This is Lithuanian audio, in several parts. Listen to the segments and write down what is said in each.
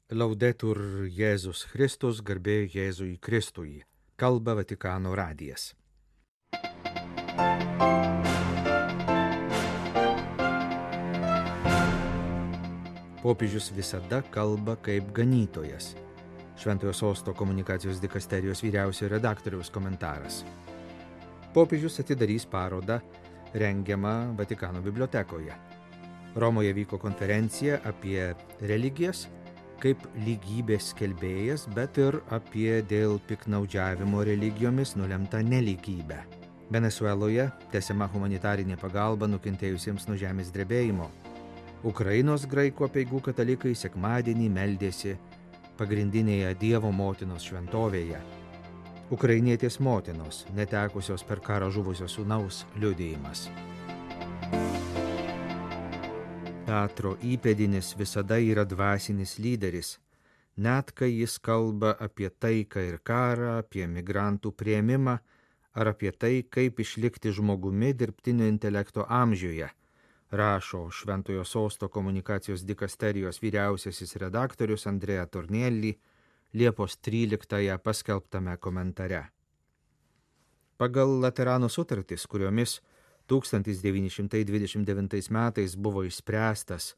Laudetur Jėzus Kristus, garbė Jėzui Kristui. Kalba Vatikano radijas. Popiežius visada kalba kaip ganytojas. Šventojo Sosto komunikacijos dikasterijos vyriausiojo redaktoriaus komentaras. Popiežius atidarys parodą rengiamą Vatikano bibliotekoje. Romoje vyko konferencija apie religijas kaip lygybės skelbėjas, bet ir apie dėl piknaudžiavimo religijomis nulemtą nelygybę. Venesueloje tęsiama humanitarinė pagalba nukentėjusiems nuo žemės drebėjimo. Ukrainos graikų apeigų katalikai sekmadienį meldėsi pagrindinėje Dievo motinos šventovėje. Ukrainietės motinos, netekusios per karą žuvusio sūnaus liudijimas. Petro įpėdinis visada yra dvasinis lyderis, net kai jis kalba apie taiką ir karą, apie migrantų priėmimą ar apie tai, kaip išlikti žmogumi dirbtinio intelekto amžiuje, rašo Šventojo Sosto komunikacijos dikasterijos vyriausiasis redaktorius Andrea Tornielli Liepos 13 paskelbtame komentare. Pagal Laterano sutartis, kuriomis 1929 metais buvo išspręstas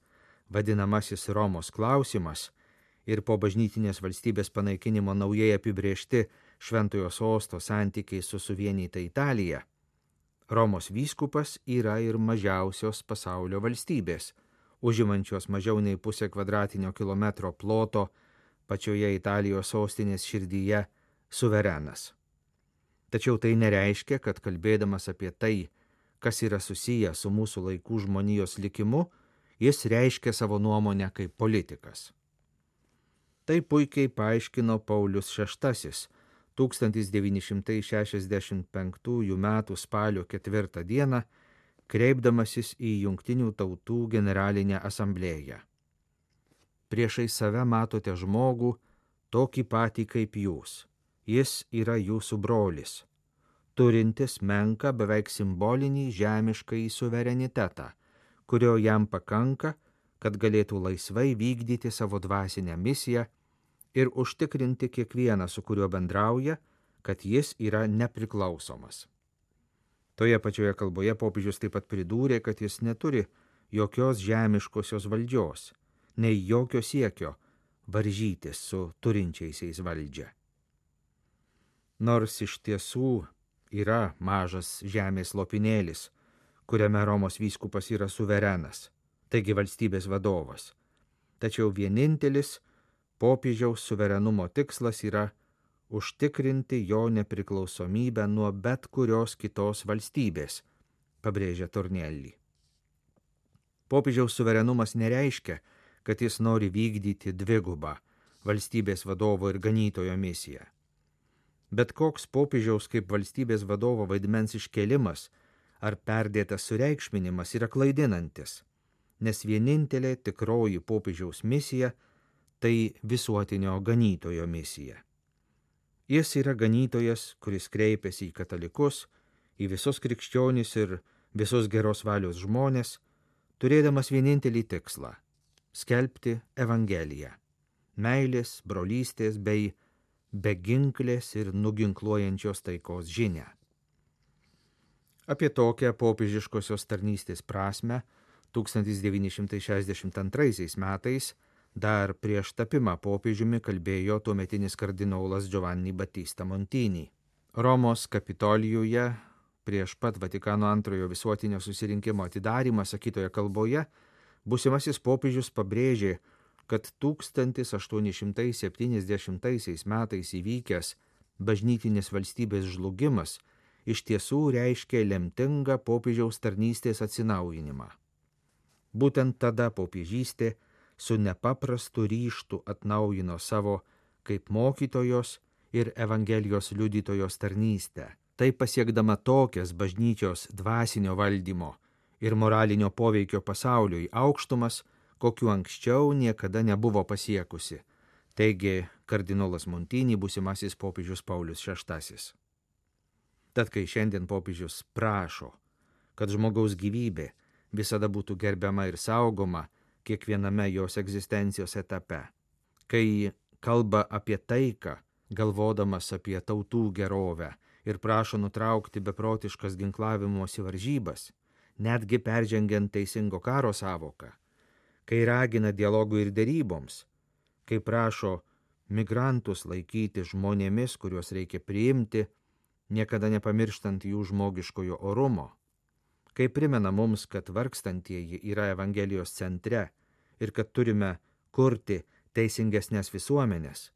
vadinamasis Romos klausimas ir po bažnytinės valstybės panaikinimo naujai apibrėžti Šventojo Sosto santykiai su suvienyta Italija, Romos vyskupas yra ir mažiausios pasaulio valstybės, užimančios mažiau nei pusę kvadratinio kilometro ploto pačioje Italijos sostinės širdyje suverenas. Tačiau tai nereiškia, kad kalbėdamas apie tai, kas yra susiję su mūsų laikų žmonijos likimu, jis reiškia savo nuomonę kaip politikas. Tai puikiai paaiškino Paulius VI 1965 m. spalio 4 d. kreipdamasis į Jungtinių tautų generalinę asamblėją. Priešai save matote žmogų, tokį patį kaip jūs. Jis yra jūsų brolis, turintis menką beveik simbolinį žemiškąjį suverenitetą, kurio jam pakanka, kad galėtų laisvai vykdyti savo dvasinę misiją ir užtikrinti kiekvieną, su kuriuo bendrauja, kad jis yra nepriklausomas. Toje pačioje kalboje popiežius taip pat pridūrė, kad jis neturi jokios žemiškosios valdžios, nei jokio siekio varžytis su turinčiaisiais valdžią. Nors iš tiesų yra mažas žemės lopinėlis, kuriame Romos vyskupas yra suverenas, taigi valstybės vadovas. Tačiau vienintelis popiežiaus suverenumo tikslas yra užtikrinti jo nepriklausomybę nuo bet kurios kitos valstybės, pabrėžia Tornielli. Popiežiaus suverenumas nereiškia, kad jis nori vykdyti dvigubą valstybės vadovo ir ganytojo misiją. Bet koks popiežiaus kaip valstybės vadovo vaidmens iškėlimas ar perdėtas sureikšminimas yra klaidinantis, nes vienintelė tikroji popiežiaus misija tai visuotinio ganytojo misija. Jis yra ganytojas, kuris kreipiasi į katalikus, į visus krikščionis ir visus geros valios žmonės, turėdamas vienintelį tikslą – skelbti Evangeliją, meilės, brolystės bei beginklės ir nuginkluojančios taikos žinią. Apie tokią popiežiškosios tarnystės prasme 1962 metais dar prieš tapimą popiežiumi kalbėjo tuometinis kardinolas Giovanni Battista Montini. Romos Kapitolijuje prieš pat Vatikano antrojo visuotinio susirinkimo atidarymą sakytoje kalboje būsimasis popiežius pabrėžė, kad 1870 metais įvykęs bažnytinės valstybės žlugimas iš tiesų reiškė lemtingą popiežiaus tarnystės atsinaujinimą. Būtent tada popiežystė su nepaprastu ryžtu atnaujino savo kaip mokytojos ir Evangelijos liudytojos tarnystę, tai pasiekdama tokias bažnyčios dvasinio valdymo ir moralinio poveikio pasauliui aukštumas, kokiu anksčiau niekada nebuvo pasiekusi, teigė kardinolas Montini, būsimasis popiežius Paulius VI. Tad kai šiandien popiežius prašo, kad žmogaus gyvybė visada būtų gerbiama ir saugoma kiekviename jos egzistencijos etape, kai kalba apie taiką, galvodamas apie tautų gerovę ir prašo nutraukti beprotiškas ginklavimosi varžybas, netgi peržengiant teisingo karo savoką, kai ragina dialogui ir deryboms, kai prašo migrantus laikyti žmonėmis, kuriuos reikia priimti, niekada nepamirštant jų žmogiškojo orumo, kai primena mums, kad vargstantieji yra Evangelijos centre ir kad turime kurti teisingesnės visuomenės,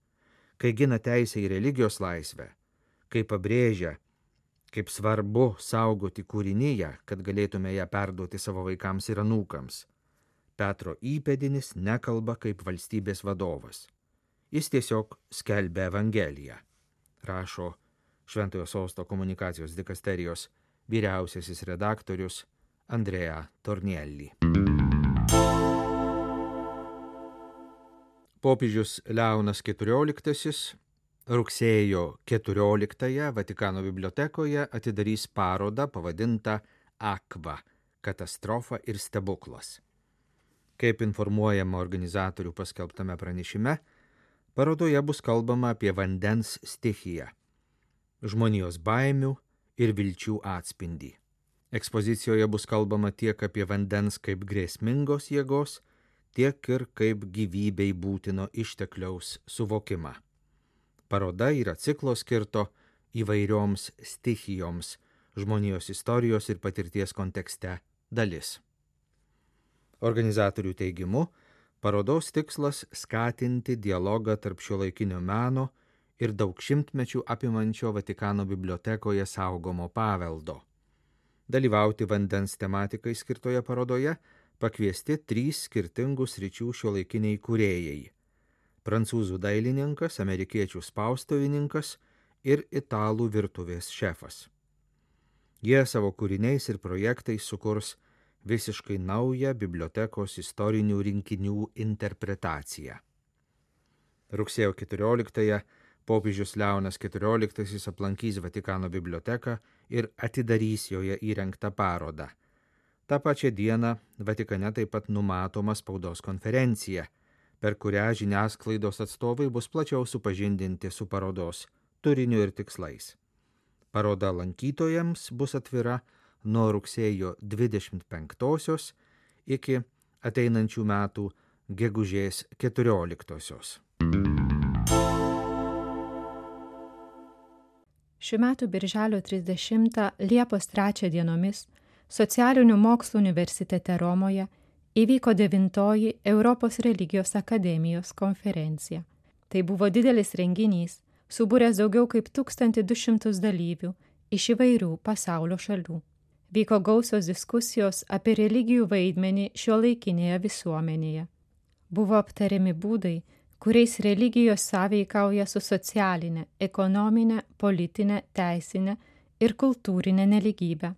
kai gina teisę į religijos laisvę, kai pabrėžia, kaip svarbu saugoti kūriniją, kad galėtume ją perduoti savo vaikams ir anūkams. Petro įpėdinis nekalba kaip valstybės vadovas. Jis tiesiog skelbia Evangeliją, rašo Šventojo Sosto komunikacijos dikasterijos vyriausiasis redaktorius Andrea Tornielli. Popiežius Leonas XIV rugsėjo 14-ąją Vatikano bibliotekoje atidarys parodą pavadintą Aqua – katastrofa ir stebuklas. Kaip informuojama organizatorių paskelbtame pranešime, parodoje bus kalbama apie vandens stichiją, žmonijos baimių ir vilčių atspindį. Ekspozicijoje bus kalbama tiek apie vandens kaip grėsmingos jėgos, tiek ir kaip gyvybei būtino ištekliaus suvokimą. Paroda yra ciklo skirto įvairioms stichijoms žmonijos istorijos ir patirties kontekste dalis. Organizatorių teigimu, parodos tikslas skatinti dialogą tarp šiuolaikinio meno ir daug šimtmečių apimančio Vatikano bibliotekoje saugomo paveldo. Dalyvauti vandens tematikai skirtoje parodoje pakviesti 3 skirtingų sričių šiuolaikiniai kūrėjai – prancūzų dailininkas, amerikiečių spaustuvininkas ir italų virtuvės šefas. Jie savo kūriniais ir projektais sukurs visiškai naują bibliotekos istorinių rinkinių interpretaciją. Rugsėjo 14-ąją popiežius Leonas XIV aplankys Vatikano biblioteką ir atidarys joje įrengtą parodą. Ta pačia diena Vatikane taip pat numatoma spaudos konferencija, per kurią žiniasklaidos atstovai bus plačiau supažindinti su parodos turiniu ir tikslais. Paroda lankytojams bus atvira nuo rugsėjo 25-osios iki ateinančių metų gegužės 14-osios. Šių metų birželio 30 Liepos 3 dienomis Socialinių mokslų universitete Romoje įvyko 9-oji Europos religijos akademijos konferencija. Tai buvo didelis renginys, subūręs daugiau kaip 1200 dalyvių iš įvairių pasaulio šalių. Vyko gausios diskusijos apie religijų vaidmenį šiuolaikinėje visuomenėje. Buvo aptariami būdai, kuriais religijos sąveikauja su socialinė, ekonominė, politinė, teisinė ir kultūrinė nelygybė.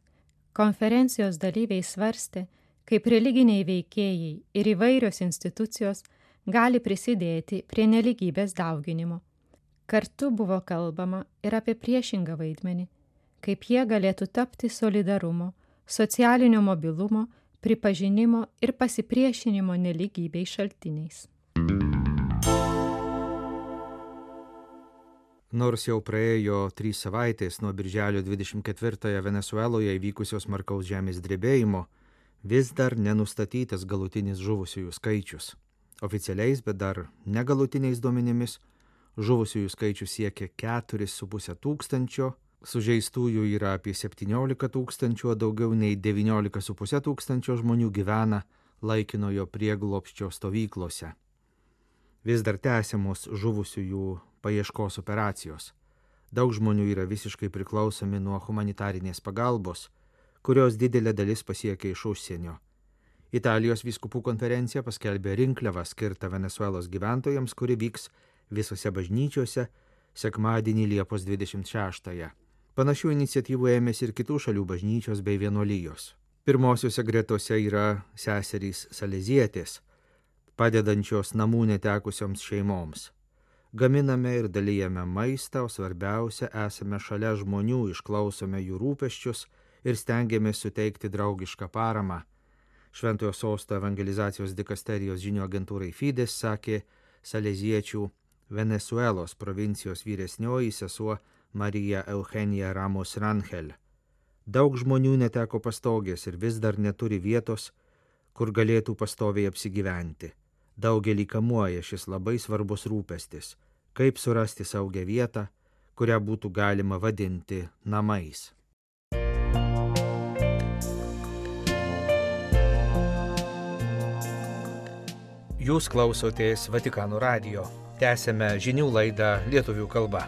Konferencijos dalyviai svarstė, kaip religiniai veikėjai ir įvairios institucijos gali prisidėti prie nelygybės dauginimo. Kartu buvo kalbama ir apie priešingą vaidmenį, kaip jie galėtų tapti solidarumo, socialinio mobilumo, pripažinimo ir pasipriešinimo nelygybei šaltiniais. Nors jau praėjo 3 savaitės nuo birželio 24-ąją Venesueloje įvykusios smarkaus žemės drebėjimo, vis dar nenustatytas galutinis žuvusiųjų skaičius. Oficialiais, bet dar negalutiniais duomenimis, žuvusiųjų skaičius siekia 4,5 tūkstančio, sužeistųjų yra apie 17 tūkstančių, o daugiau nei 19,5 tūkstančio žmonių gyvena laikinojo prieglobsčio stovyklose. Vis dar tęsiamos žuvusiųjų paieškos operacijos. Daug žmonių yra visiškai priklausomi nuo humanitarinės pagalbos, kurios didelė dalis pasiekia iš užsienio. Italijos vyskupų konferencija paskelbė rinkliavą skirtą Venesuelos gyventojams, kuri vyks visose bažnyčiose sekmadienį Liepos 26-ąją. Panašių iniciatyvų ėmėsi ir kitų šalių bažnyčios bei vienuolijos. Pirmosiuose gretose yra seserys Salezietės, padedančios namų netekusioms šeimoms. Gaminame ir dalijame maistą, o svarbiausia, esame šalia žmonių, išklausome jų rūpesčius ir stengiamės suteikti draugišką paramą. Šventojo Sosto evangelizacijos dikasterijos žinių agentūrai Fides sakė saleziečių Venezuelos provincijos vyresnioji sesuo Marija Eugenija Ramos Rangel. Daug žmonių neteko pastogės ir vis dar neturi vietos, kur galėtų pastoviai apsigyventi. Daugelį kamuoja šis labai svarbus rūpestis, kaip surasti saugią vietą, kurią būtų galima vadinti namais. Jūs klausotės Vatikano radijo. Tęsėme žinių laidą lietuvių kalba.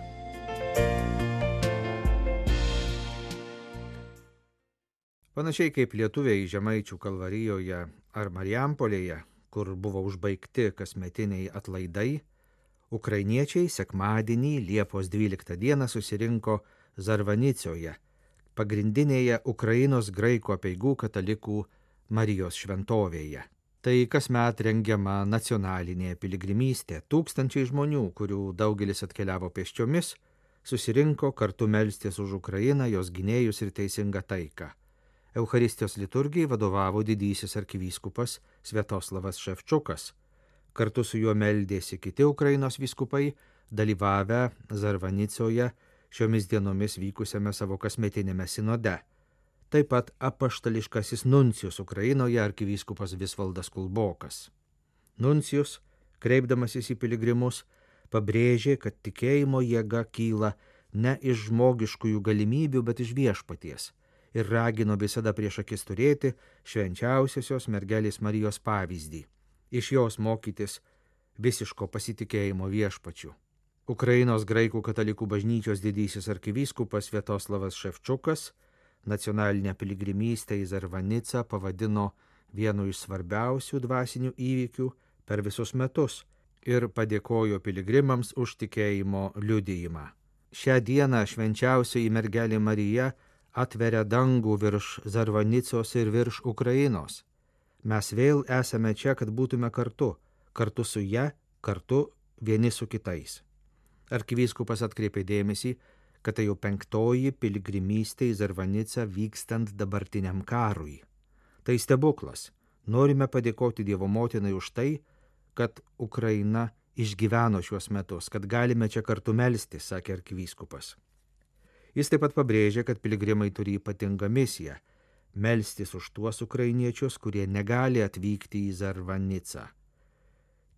Panašiai kaip lietuviai Žemaičių Kalvarijoje ar Marijampolėje, kur buvo užbaigti kasmetiniai atlaidai, ukrainiečiai sekmadienį Liepos 12 dieną susirinko Zarvanicoje, pagrindinėje Ukrainos graikų apeigų katalikų Marijos šventovėje. Tai kasmet rengiama nacionalinė piligrimystė. Tūkstančiai žmonių, kurių daugelis atkeliavo pėsčiomis, susirinko kartu melstis už Ukrainą, jos gynėjus ir teisingą taiką. Eucharistijos liturgijai vadovavo didysis arkivyskupas Sviatoslavas Ševčukas. Kartu su juo meldėsi kiti Ukrainos vyskupai, dalyvavę Zarvanicoje šiomis dienomis vykusiame savo kasmetinėme sinode. Taip pat apaštališkasis nuncijus Ukrainoje arkivyskupas Visvaldas Kulbokas. Nuncijus, kreipdamasis į piligrimus, pabrėžė, kad tikėjimo jėga kyla ne iš žmogiškųjų galimybių, bet iš viešpaties, ir ragino visada prieš akis turėti švenčiausiosios mergelės Marijos pavyzdį, iš jos mokytis visiško pasitikėjimo viešpačiu. Ukrainos graikų katalikų bažnyčios didysis arkivyskupas Sviatoslavas Ševčukas nacionalinę piligrimystę į Zarvanicą pavadino vienu iš svarbiausių dvasinių įvykių per visus metus ir padėkojo piligrimams už tikėjimo liudijimą. Šią dieną švenčiausioji mergelė Marija atveria dangų virš Zarvanicos ir virš Ukrainos. Mes vėl esame čia, kad būtume kartu su ja, kartu vieni su kitais. Arkivyskupas atkreipė dėmesį, kad tai jau 5. piligrimystė į Zarvanicą vykstant dabartiniam karui. Tai stebuklas. Norime padėkoti Dievo motinai už tai, kad Ukraina išgyveno šiuos metus, kad galime čia kartu melstis, sakė arkivyskupas. Jis taip pat pabrėžė, kad piligrimai turi ypatingą misiją – melstis už tuos ukrainiečius, kurie negali atvykti į Zarvanicą.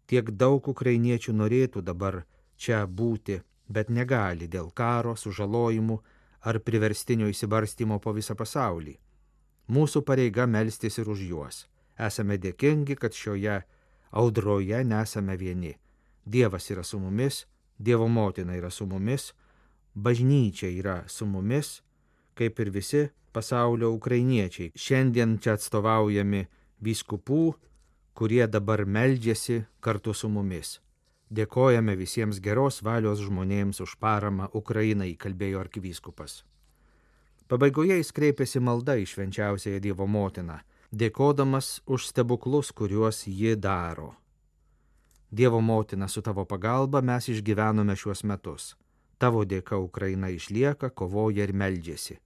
Tiek daug ukrainiečių norėtų dabar čia būti, bet negali dėl karo, sužalojimų ar priverstinio įsibarstymo po visą pasaulį. Mūsų pareiga melstis ir už juos. Esame dėkingi, kad šioje audroje nesame vieni. Dievas yra su mumis, Dievo motina yra su mumis, bažnyčia yra su mumis, kaip ir visi pasaulio ukrainiečiai. Šiandien čia atstovaujami vyskupų, kurie dabar meldžiasi kartu su mumis. Dėkojame visiems geros valios žmonėms už paramą Ukrainai, kalbėjo arkivyskupas. Pabaigoje jis kreipėsi malda į švenčiausiąją Dievo motiną, dėkodamas už stebuklus, kuriuos ji daro. Dievo motina, su tavo pagalba mes išgyvenome šiuos metus. Tavo dėka Ukraina išlieka, kovoja ir meldžiasi.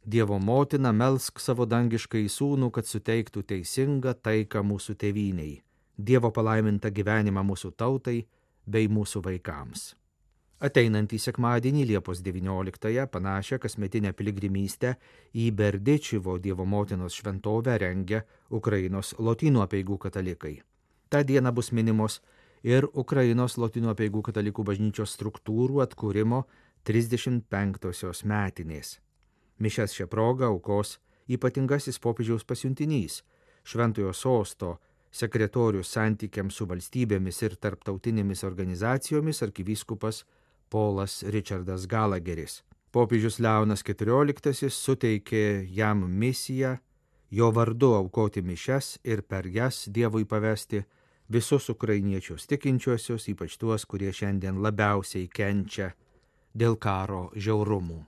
Dievo motina, melsk savo dangiškai sūnų, kad suteiktų teisingą taiką mūsų tėvynei, Dievo palaimintą gyvenimą mūsų tautai bei mūsų vaikams. Ateinantį sekmadienį Liepos 19-ąją panašią kasmetinę piligrimystę į Berdičivo Dievo motinos šventovę rengia Ukrainos lotynų apeigų katalikai. Ta diena bus minimos ir Ukrainos lotynų apeigų katalikų bažnyčios struktūrų atkūrimo 35-osios metinės. Mišias šią progą aukos ypatingasis popiežiaus pasiuntinys, Šventojo sosto sekretorius santykiams su valstybėmis ir tarptautinėmis organizacijomis arkivyskupas Polas Richardas Galageris. Popiežius Leonas XIV suteikė jam misiją jo vardu aukoti mišias ir per jas Dievui pavesti visus ukrainiečius tikinčiuosius, ypač tuos, kurie šiandien labiausiai kenčia dėl karo žiaurumų.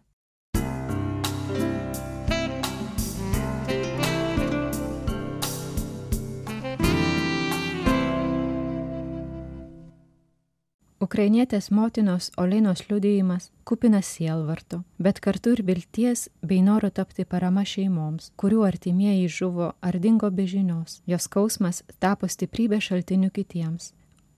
Ukrainietės motinos Olinos liudijimas kupinas sielvarto, bet kartu ir vilties bei noro tapti parama šeimoms, kurių artimieji žuvo ar dingo be žinios. Jos skausmas tapo stiprybė šaltiniu kitiems.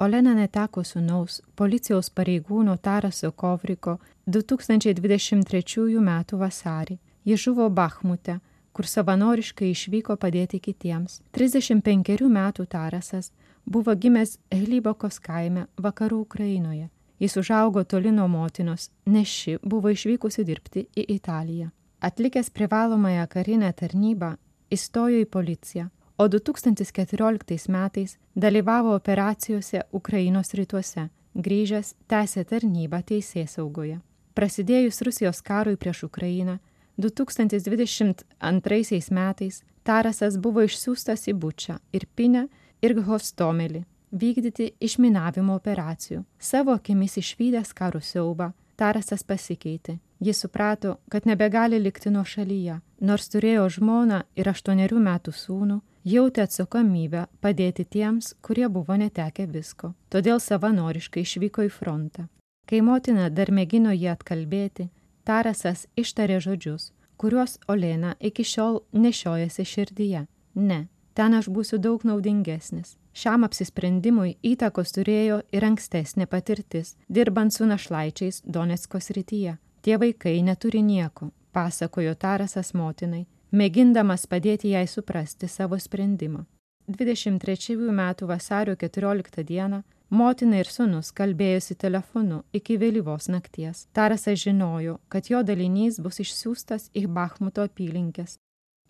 Olena neteko sūnaus policijos pareigūno Taraso Kovriko 2023 m. vasarį. Ji žuvo Bachmute, kur savanoriškai išvyko padėti kitiems. 35 metų Tarasas buvo gimęs Hlybokos kaime vakarų Ukrainoje. Jis užaugo toli nuo motinos, nes ši buvo išvykusi dirbti į Italiją. Atlikęs privalomąją karinę tarnybą, įstojo į policiją, o 2014 metais dalyvavo operacijose Ukrainos rytuose, grįžęs tęsė tarnybą teisėsaugoje. Prasidėjus Rusijos karui prieš Ukrainą, 2022 metais Tarasas buvo išsiųstas į Bučą, Irpinę ir Hostomelį vykdyti išminavimo operacijų. Savo akimis išvydęs karo siaubą, Tarasas pasikeitė. Jis suprato, kad nebegali likti nuošalyje. Nors turėjo žmoną ir 8 metų sūnų, jautė atsakomybę padėti tiems, kurie buvo netekę visko. Todėl savanoriškai išvyko į frontą. Kai motina dar mėgino jį atkalbėti, Tarasas ištarė žodžius, kuriuos Olena iki šiol nešiojasi širdyje. Ne, ten aš būsiu daug naudingesnis. Šiam apsisprendimui įtakos turėjo ir ankstesnė patirtis, dirbant su našlaičiais Donecko srityje. Tie vaikai neturi nieko, pasakojo Tarasas motinai, mėgindamas padėti jai suprasti savo sprendimą. 23 metų vasario 14 dieną motina ir sūnus kalbėjosi telefonu iki vėlyvos nakties. Tarasas žinojo, kad jo dalinys bus išsiųstas į Bachmuto apylinkes.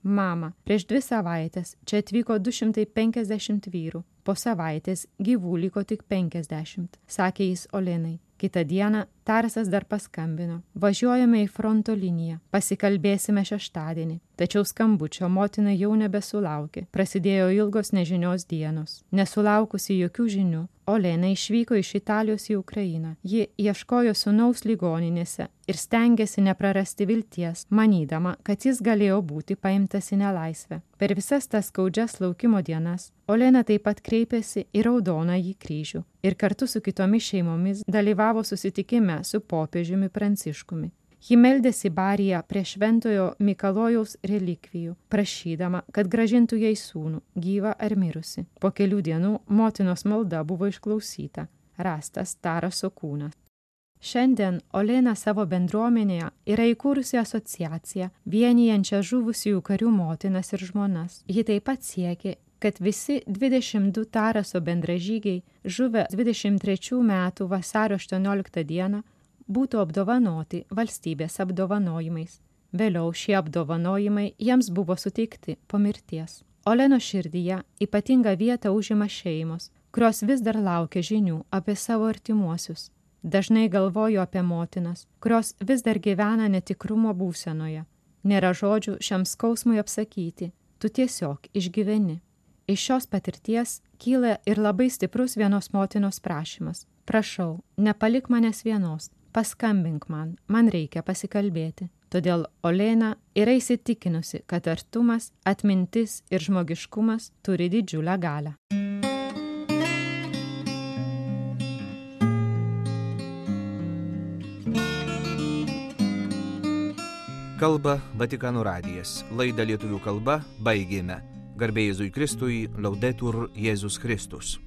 Mama, prieš 2 savaitės čia atvyko 250 vyrų, po savaitės gyvų liko tik 50, sakė jis Olenai. Kitą dieną Tarasas dar paskambino. Važiuojame į fronto liniją, pasikalbėsime šeštadienį. Tačiau skambučio motina jau nebesulaukė. Prasidėjo ilgos nežinios dienos. Nesulaukusi jokių žinių, Olena išvyko iš Italijos į Ukrainą. Ji ieškojo sūnaus ligoninėse ir stengėsi neprarasti vilties, manydama, kad jis galėjo būti paimtas į nelaisvę. Per visas tas skaudžias laukimo dienas Olena taip pat kreipėsi į Raudonąjį kryžių ir kartu su kitomis šeimomis dalyvavo susitikime su popiežiumi Pranciškumi. Ji meldėsi Bariją prie Šventojo Mikalojaus relikvijų, prašydama, kad grąžintų jai sūnų, gyvą ar mirusi. Po kelių dienų motinos malda buvo išklausyta, rastas Taraso kūnas. Šiandien Olena savo bendruomenėje yra įkūrusi asociaciją, vienijančią žuvusiųjų karių motinas ir žmonas. Ji taip pat siekė, kad visi 22 Taraso bendražygiai žuvę 23 metų vasario 18 dieną būtų apdovanoti valstybės apdovanojimais. Vėliau šie apdovanojimai jiems buvo suteikti po mirties. Olenos širdyje ypatingą vietą užima šeimos, kurios vis dar laukia žinių apie savo artimuosius. Dažnai galvoju apie motinas, kurios vis dar gyvena netikrumo būsenoje. Nėra žodžių šiam skausmui apsakyti, tu tiesiog išgyveni. Iš šios patirties kyla ir labai stiprus vienos motinos prašymas. Prašau, nepalik manęs vienos, paskambink man reikia pasikalbėti. Todėl Olena yra įsitikinusi, kad artumas, atmintis ir žmogiškumas turi didžiulę galią. Kalba Vatikano radijas. Laidą lietuvių kalba baigėme. Garbė Jėzui Kristui, Laudetur Jėzus Kristus.